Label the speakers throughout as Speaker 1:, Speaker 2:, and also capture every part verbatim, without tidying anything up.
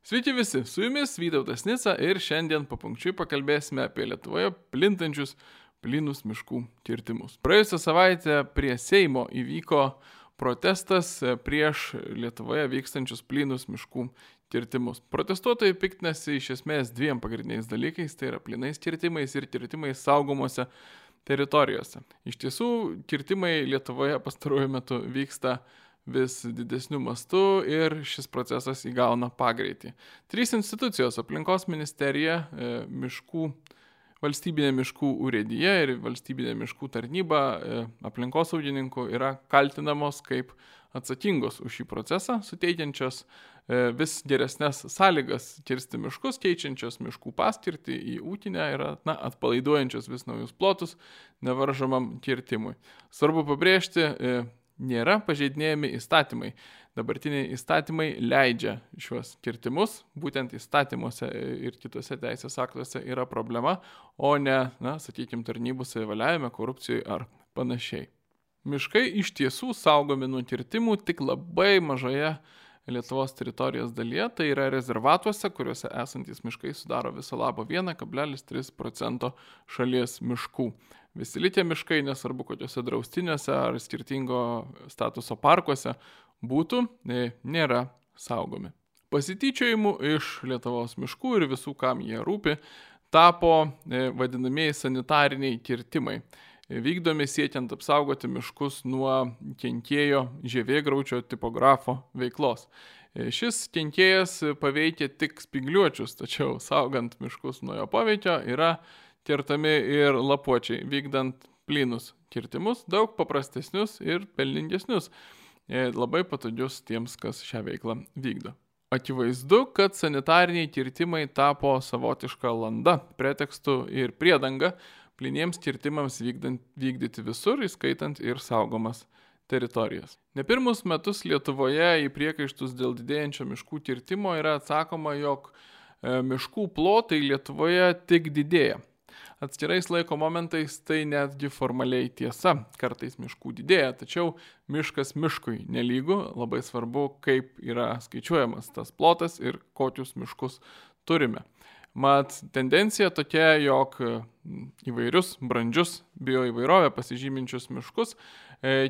Speaker 1: Sveiki visi, su jumis Vytautas Nica ir šiandien papunkčiui pakalbėsime apie Lietuvoje plintančius plynus miškų kirtimus. Praėjusią savaitę prie Seimo įvyko protestas prieš Lietuvoje vykstančius plynus miškų kirtimus. Protestuotojai piktinasi iš esmės dviem pagrindiniais dalykais, tai yra plynais kirtimais ir kirtimais saugomose teritorijose. Iš tiesų, kirtimai Lietuvoje pastaruoju metu vyksta vis didesniu mastu ir šis procesas įgauna pagreitį. Trys institucijos - aplinkos ministerija, miškų, valstybinė miškų urėdija ir valstybinė miškų tarnyba aplinkosaugininkų yra kaltinamos kaip atsakingos už šį procesą, suteikiančios vis geresnes sąlygas kirsti miškus, keičiančios miškų paskirtį į ūkinę ir na, atpalaiduojančios vis naujus plotus nevaržomam kirtimui. Svarbu pabrėžti, nėra pažeidinėjami įstatymai. Dabartiniai įstatymai leidžia šiuos kirtimus, būtent įstatymuose ir kitose teisės aktuose yra problema, o ne, na, sakykime, tarnybų savivaliavime, korupcijoje ar panašiai. Miškai iš tiesų saugomi nuo kirtimų tik labai mažoje Lietuvos teritorijos dalyje, tai yra rezervatuose, kuriuose esantis miškai sudaro viso labo vienas kablelis tris procento šalies miškų. Visi likę miškai, nesvarbu kokiuose draustiniuose ar skirtingo statuso parkuose būtų, nėra saugomi. Pasityčiojimų iš Lietuvos miškų ir visų, kam jie rūpi, tapo vadinamieji sanitariniai kirtimai, vykdomi siekiant apsaugoti miškus nuo kenkėjo žievėgraučio tipografo veiklos. Šis kenkėjas paveikia tik spygliuočius, tačiau saugant miškus nuo jo poveikio yra kertami ir lapuočiai, vykdant plynus kirtimus, daug paprastesnius ir pelningesnius, labai patogius tiems, kas šią veiklą vykdo. Akivaizdu, kad sanitariniai kirtimai tapo savotiška landa, pretekstu ir priedanga plyniems kirtimams vykdant, vykdyti visur, įskaitant ir saugomas teritorijas. Ne pirmus metus Lietuvoje į priekaištus dėl didėjančio miškų kirtimo yra atsakoma, jog miškų plotai Lietuvoje tik didėja. Atskirais laiko momentais tai netgi formaliai tiesa, kartais miškų didėja, tačiau miškas miškui nelygu, labai svarbu, kaip yra skaičiuojamas tas plotas ir kokius miškus turime. Mat, tendencija tokia, jog įvairius brandžius bioįvairovę pasižyminčius miškus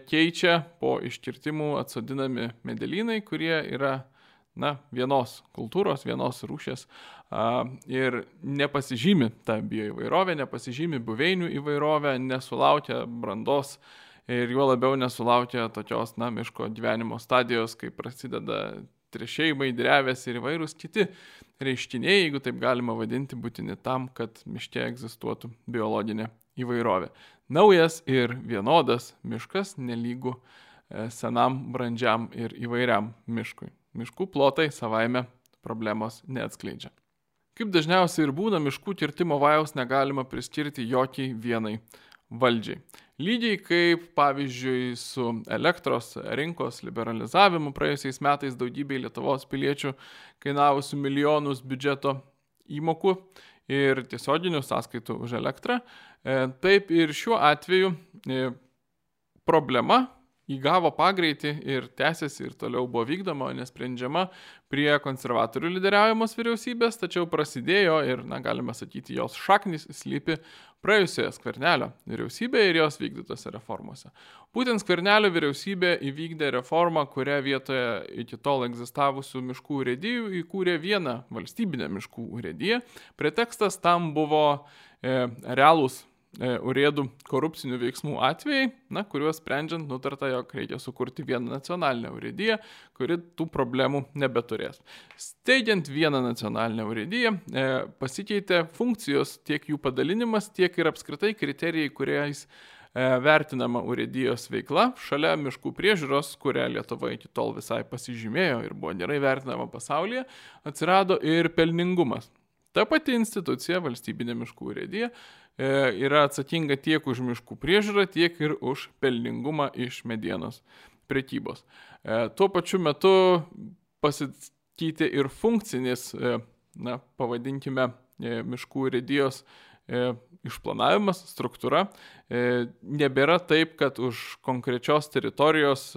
Speaker 1: keičia po iškirtimų atsodinami medelynai, kurie yra na, vienos kultūros, vienos rūšies ir nepasižymi tą bioįvairovę, nepasižymi buveinių įvairovę, nesulaukia brandos ir juo labiau nesulaukia tokios na, miško gyvenimo stadijos, kai prasideda trešėjimai, drevės ir įvairūs kiti reiškiniai, jeigu taip galima vadinti, būtini tam, kad miške egzistuotų biologinė įvairovė. Naujas ir vienodas miškas nelygu senam, brandžiam ir įvairiam miškui. Miškų plotai savaime problemos neatskleidžia. Kaip dažniausiai ir būna, miškų kirtimo vajaus negalima priskirti jokiai vienai valdžiai. Lygiai kaip, pavyzdžiui, su elektros rinkos liberalizavimu praėjusiais metais daugybei Lietuvos piliečių kainavusių milijonus biudžeto įmokų ir tiesioginių sąskaitų už elektrą, taip ir šiuo atveju problema įgavo pagreitį ir tęsiasi ir toliau buvo vykdoma, nesprendžiama prie konservatorių lyderiaujamos vyriausybės, tačiau prasidėjo ir, na, galime sakyti, jos šaknys slypi praėjusioje Skvernelio vyriausybėje ir jos vykdytose reformose. Būtent Skvernelio vyriausybė įvykdė reformą, kurią vietoje iki tol egzistavusių miškų urėdijų įkūrė vieną valstybinę miškų urėdiją. Pretekstas tam buvo e, realūs urėdų korupcinių veiksmų atvejai, na, kuriuos sprendžiant nutarta, jog reikia sukurti vieną nacionalinę urėdiją, kuri tų problemų nebeturės. Steigiant vieną nacionalinę urėdiją, e, pasikeitė funkcijos tiek jų padalinimas, tiek ir apskritai kriterijai, kuriais e, vertinama urėdijos veikla. Šalia miškų priežiūros, kurią Lietuva iki tol visai pasižymėjo ir buvo gerai vertinama pasaulyje, atsirado ir pelningumas. Ta pati institucija, valstybinė miškų urėdija, yra atsakinga tiek už miškų priežiūrą, tiek ir už pelningumą iš medienos prekybos. Tuo pačiu metu pasikeitė ir funkcinis, na, pavadinkime, miškų urėdijos išplanavimas, struktūra. Nebėra taip, kad už konkrečios teritorijos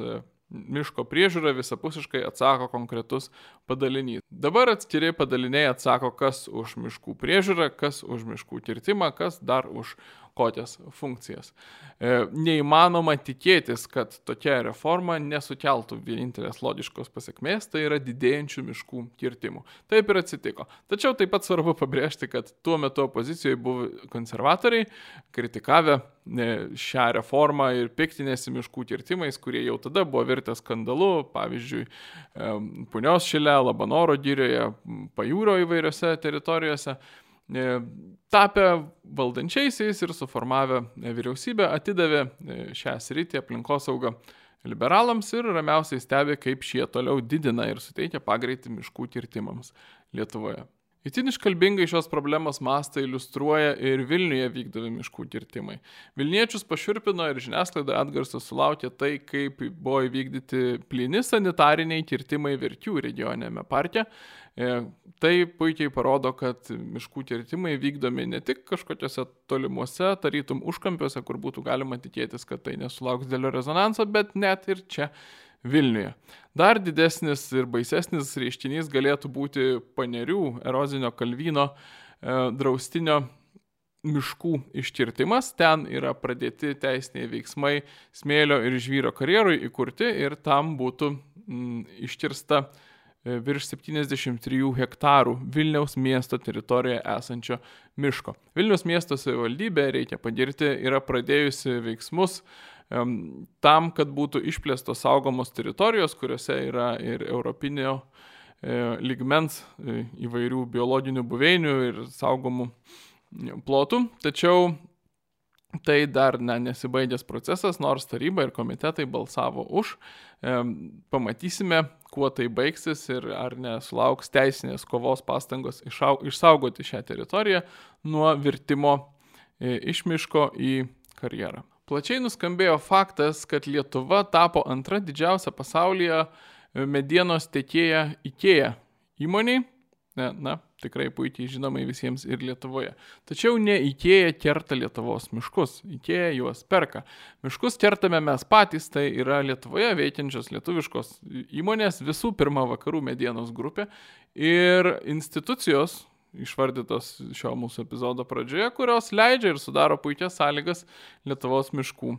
Speaker 1: miško priežiūrą visapusiškai atsako konkretus padalinys. Dabar atskiri padaliniai atsako, kas už miškų priežiūrą, kas už miškų kirtimą, kas dar už kokias funkcijas. E, neįmanoma tikėtis, kad tokia reforma nesukeltų vienintelės logiškos pasiekmės, tai yra didėjančių miškų kirtimų. Taip ir atsitiko. Tačiau taip pat svarbu pabrėžti, kad tuo metu opozicijoje buvo konservatoriai, kritikavę šią reformą ir piktinėsi miškų kirtimais, kurie jau tada buvo virtę skandalu, pavyzdžiui, Punios šile, Labanoro girioje, Pajūrio įvairiose teritorijose. Tapę valdančiaisiais ir suformavę vyriausybę atidavė šią sritį aplinkosaugą liberalams ir ramiausiai stebi, kaip šie toliau didina ir suteikia pagreitį miškų kirtimams Lietuvoje. Itin iškalbingai šios problemos mastą iliustruoja ir Vilniuje vykdomi miškų kirtimai. Vilniečius pašiurpino ir žiniasklaidoje atgarsas sulaukė tai, kaip buvo įvykdyti plyni sanitariniai kirtimai Verkių regioninėme parke. Tai puikiai parodo, kad miškų kirtimai vykdomi ne tik kažkokiuose tolimuose, tarytum užkampiuose, kur būtų galima tikėtis, kad tai nesulauks didelio rezonanso, bet net ir čia Vilniuje. Dar didesnis ir baisesnis reiškinys galėtų būti Panerių erozinio kalvyno e, draustinio miškų iškirtimas. Ten yra pradėti teisiniai veiksmai smėlio ir žvyro karjerui įkurti ir tam būtų m, iškirsta e, virš septyniasdešimt trijų hektarų Vilniaus miesto teritorijoje esančio miško. Vilniaus miesto savivaldybė, reikia pagirti, yra pradėjusi veiksmus tam, kad būtų išplėstos saugomos teritorijos, kuriuose yra ir europinio e, lygmens e, įvairių biologinių buveinių ir saugomų plotų. Tačiau tai dar ne, nesibaigęs procesas, nors taryba ir komitetai balsavo už. E, pamatysime, kuo tai baigsis ir ar nesulauks teisinės kovos pastangos išau, išsaugoti šią teritoriją nuo virtimo e, iš miško į karjerą. Plačiai nuskambėjo faktas, kad Lietuva tapo antra didžiausia pasaulyje medienos tiekėja IKEA įmoniai. Na, tikrai puikiai žinomai visiems ir Lietuvoje. Tačiau ne IKEA kerta Lietuvos miškus, IKEA juos perka. Miškus kertame mes patys, tai yra Lietuvoje veikiančios lietuviškos įmonės, visų pirma Vakarų medienos grupė ir institucijos, išvardytos šio mūsų epizodo pradžioje, kurios leidžia ir sudaro puikias sąlygas Lietuvos miškų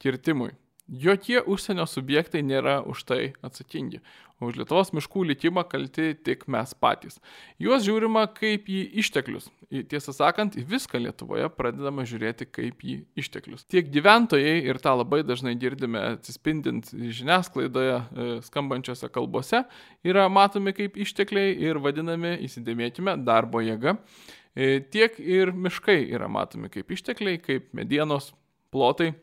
Speaker 1: kirtimui. Jokie užsienio subjektai nėra už tai atsakingi. Už Lietuvos miškų likimą kalti tik mes patys. Juos žiūrima kaip į išteklius. Tiesą sakant, į viską Lietuvoje pradedama žiūrėti kaip į išteklius. Tiek gyventojai, ir tą labai dažnai girdime atsispindint žiniasklaidoje skambančiose kalbose, yra matomi kaip ištekliai ir vadinami, įsidėmėkime, darbo jėga. Tiek ir miškai yra matomi kaip ištekliai, kaip medienos plotai,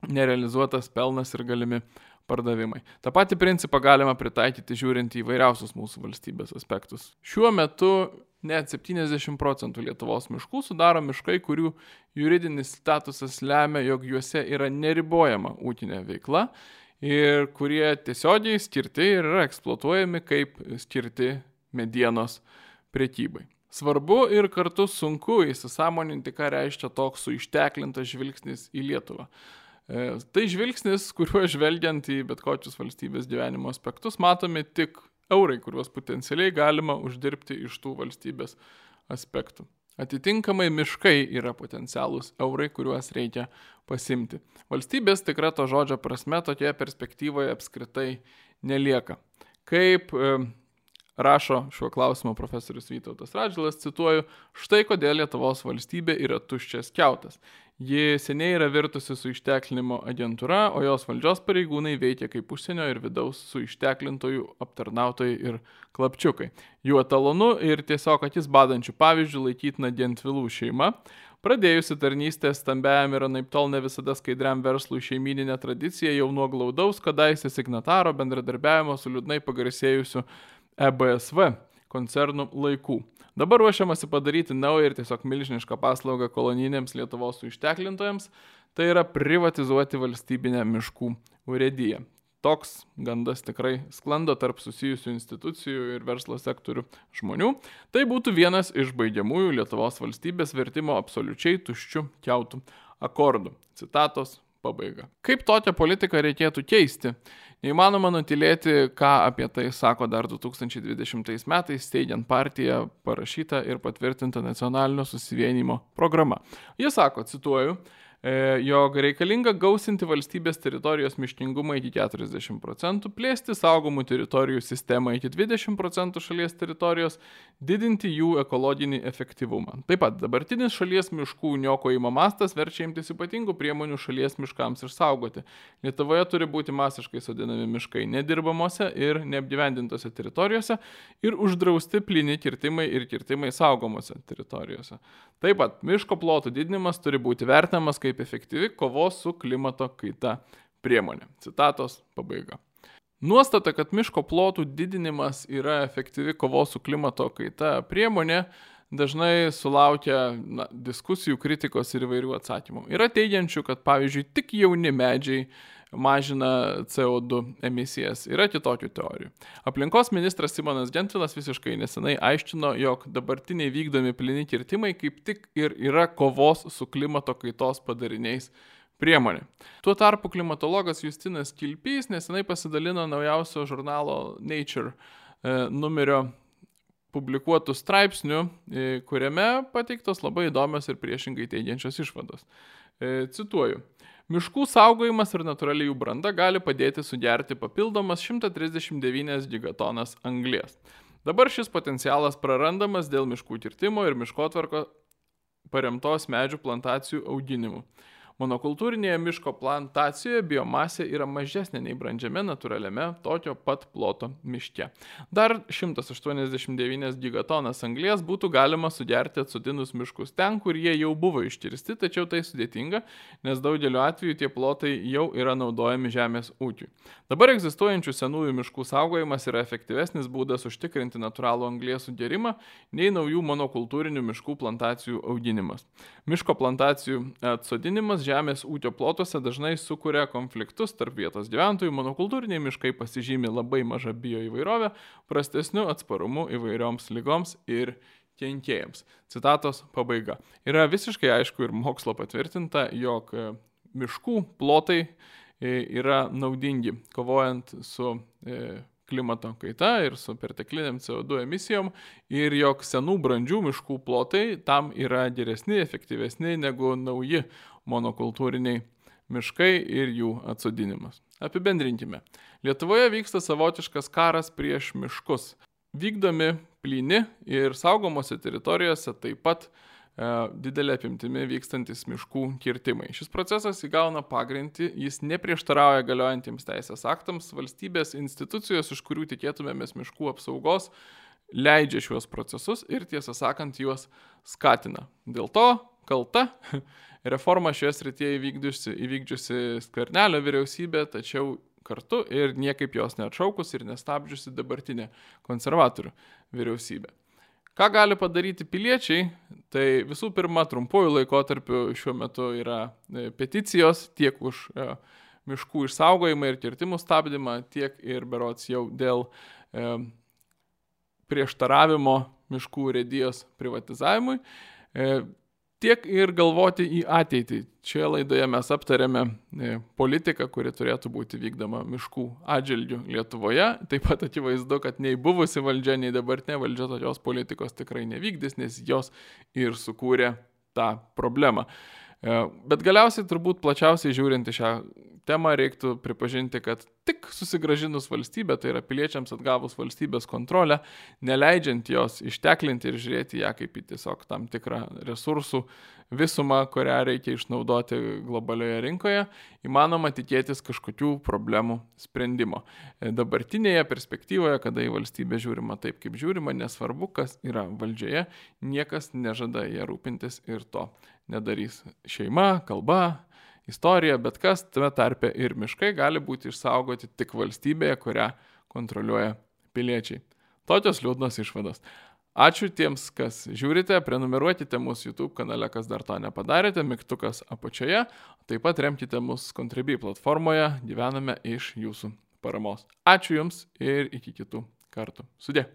Speaker 1: nerealizuotas pelnas ir galimi pardavimai. Ta pati principą galima pritaikyti žiūrint į vairiausius mūsų valstybės aspektus. Šiuo metu net septyniasdešimt procentų Lietuvos miškų sudaro miškai, kurių juridinis statusas lemia, jog juose yra neribojama ūkinė veikla ir kurie tiesiogiai skirti ir yra eksploatuojami kaip skirti medienos prekybai. Svarbu ir kartu sunku įsisąmoninti, ką reiškia toks suišteklintas žvilgsnis į Lietuvą. Tai žvilgsnis, kuriuo žvelgiant į bet kokius valstybės gyvenimo aspektus, matomi tik eurai, kuriuos potencialiai galima uždirbti iš tų valstybės aspektų. Atitinkamai miškai yra potencialūs eurai, kuriuos reikia pasimti. Valstybės tikra to žodžio prasme tokioje perspektyvoje apskritai nelieka. Kaip e, rašo šiuo klausimu profesorius Vytautas Radžvilas, cituoju, štai kodėl Lietuvos valstybė yra tuščias kiautas. Ji seniai yra virtusi su išteklinimo agentūra, o jos valdžios pareigūnai veikia kaip užsienio ir vidaus su išteklintojų aptarnautojai ir klapčiukai. Jų etalonu ir tiesiog akis badančių pavyzdžių laikytina Gentvilų šeima, pradėjusi tarnystę stambiajam ir anaiptol ne visada skaidriam verslui šeimyninė tradicija jau nuo glaudaus kadaise signataro bendradarbiavimo su liūdnai pagarsėjusiu E B S V koncernų laikų. Dabar ruošiamasi padaryti naują ir tiesiog milžinišką paslaugą kolonijiniams Lietuvos išteklintojams, tai yra privatizuoti valstybinę miškų urėdiją. Toks gandas tikrai sklando tarp susijusių institucijų ir verslo sektorių žmonių. Tai būtų vienas iš baigiamųjų Lietuvos valstybės vertimo absoliučiai tuščių kiautų akordų. Citatos pabaiga. Kaip tokią politiką reikėtų keisti? Neįmanoma nutilėti, ką apie tai sako dar du tūkstančiai dvidešimtais metais steigiant partiją parašyta ir patvirtinta nacionalinio susivienijimo programa. Jis sako, cituoju, jog reikalinga gausinti valstybės teritorijos miškingumą iki keturiasdešimt procentų, plėsti saugomų teritorijų sistemą iki dvidešimt procentų šalies teritorijos, didinti jų ekologinį efektyvumą. Taip pat dabartinis šalies miškų niokojimo mastas verčia imtis ypatingų priemonių šalies miškams išsaugoti. Lietuvoje turi būti masiškai sodinami miškai nedirbamose ir neapgyvendintose teritorijose ir uždrausti plyni kirtimai ir kirtimai saugomose teritorijose. Taip pat miško plotų didinimas turi būti vertinamas kaip efektyvi kovos su klimato kaita priemonė. Citatos pabaiga. Nuostata, kad miško plotų didinimas yra efektyvi kovos su klimato kaita priemonė, dažnai sulaukia na, diskusijų, kritikos ir įvairių atsakymų. Yra teigiančių, kad pavyzdžiui tik jauni medžiai mažina C O du emisijas. Yra kitokių teorijų. Aplinkos ministras Simonas Gentvilas visiškai nesenai aiškino, jog dabartiniai vykdomi plyni kirtimai kaip tik ir yra kovos su klimato kaitos padariniais priemonė. Tuo tarpu klimatologas Justinas Kilpys nesenai pasidalino naujausio žurnalo Nature e, numerio publikuotų straipsnių, e, kuriame pateiktos labai įdomios ir priešingai teigiančios išvados. E, cituoju. Miškų saugojimas ir natūrali jų branda gali padėti sugerti papildomas šimtas trisdešimt devynias gigatonas anglies. Dabar šis potencialas prarandamas dėl miškų kirtimo ir miškotvarko paremtos medžių plantacijų auginimu. Monokultūrinėje miško plantacijoje biomasė yra mažesnė nei brandžiame natūraliame tokio pat ploto miške. Dar šimtas aštuoniasdešimt devynias gigatonas anglies būtų galima sugerti atsodinus miškus ten, kur jie jau buvo iškirsti, tačiau tai sudėtinga, nes daugeliu atveju tie plotai jau yra naudojami žemės ūkiui. Dabar egzistuojančių senųjų miškų saugojimas yra efektyvesnis būdas užtikrinti natūralų anglies sugerimą nei naujų monokultūrinių miškų plantacijų auginimas. Miško plantacijų atsodinimas žemės ūkio plotuose dažnai sukuria konfliktus tarp vietos gyventojų, monokultūriniai miškai pasižymi labai maža bioįvairovė, prastesniu atsparumu įvairioms ligoms ir kenkėjams. Citatos pabaiga. Yra visiškai aišku ir mokslo patvirtinta, jog miškų plotai yra naudingi, kovojant su klimato kaita ir su pertekliniam C O du emisijom ir jog senų brandžių miškų plotai tam yra geresni, efektyvesni negu nauji monokultūriniai miškai ir jų atsodinimas. Apibendrinkime. Lietuvoje vyksta savotiškas karas prieš miškus. Vykdomi plyni ir saugomose teritorijose taip pat e, didelė apimtimi vykstantis miškų kirtimai. Šis procesas įgauna pagreitį, jis neprieštarauja galiojantiems teisės aktams, valstybės institucijos, iš kurių tikėtumėmės miškų apsaugos, leidžia šiuos procesus ir tiesą sakant juos skatina. Dėl to kalta reforma šioje srityje įvykdžiusi, įvykdžiusi Skvernelio vyriausybė, tačiau kartu ir niekaip jos neatšaukus ir nestabdžiusi dabartinė konservatorių vyriausybė. Ką gali padaryti piliečiai? Tai visų pirma, trumpuoju laikotarpiu šiuo metu yra peticijos tiek už miškų išsaugojimą ir kirtimų stabdymą, tiek ir berods jau dėl e, prieštaravimo miškų urėdijos privatizavimui. E, Tiek ir galvoti į ateitį. Šioje laidoje mes aptarėme politiką, kuri turėtų būti vykdoma miškų atžvilgiu Lietuvoje. Taip pat akivaizdu, kad nei buvusi valdžia, nei dabartinė valdžia tokios politikos tikrai nevykdys, nes jos ir sukūrė tą problemą. Bet galiausiai turbūt plačiausiai žiūrint į šią temą reiktų pripažinti, kad tik susigrąžinus valstybę, tai yra piliečiams atgavus valstybės kontrolę, neleidžiant jos išteklinti ir žiūrėti ją kaip į tiesiog tam tikrą resursų visumą, kurią reikia išnaudoti globalioje rinkoje, įmanoma tikėtis kažkokių problemų sprendimo. Dabartinėje perspektyvoje, kada į valstybę žiūrima taip, kaip žiūrima, nesvarbu, kas yra valdžioje, niekas nežada ją rūpintis ir to nedarys. Šeima, kalba, istorija, bet kas, tame tarpe ir miškai gali būti išsaugoti tik valstybėje, kurią kontroliuoja piliečiai. Tokios liūdnos išvados. Ačiū tiems, kas žiūrite, prenumeruokite mūsų YouTube kanale, kas dar to nepadarėte, mygtukas apačioje, taip pat remkite mus Contribui platformoje, gyvename iš jūsų paramos. Ačiū Jums ir iki kitų kartų. Sudie.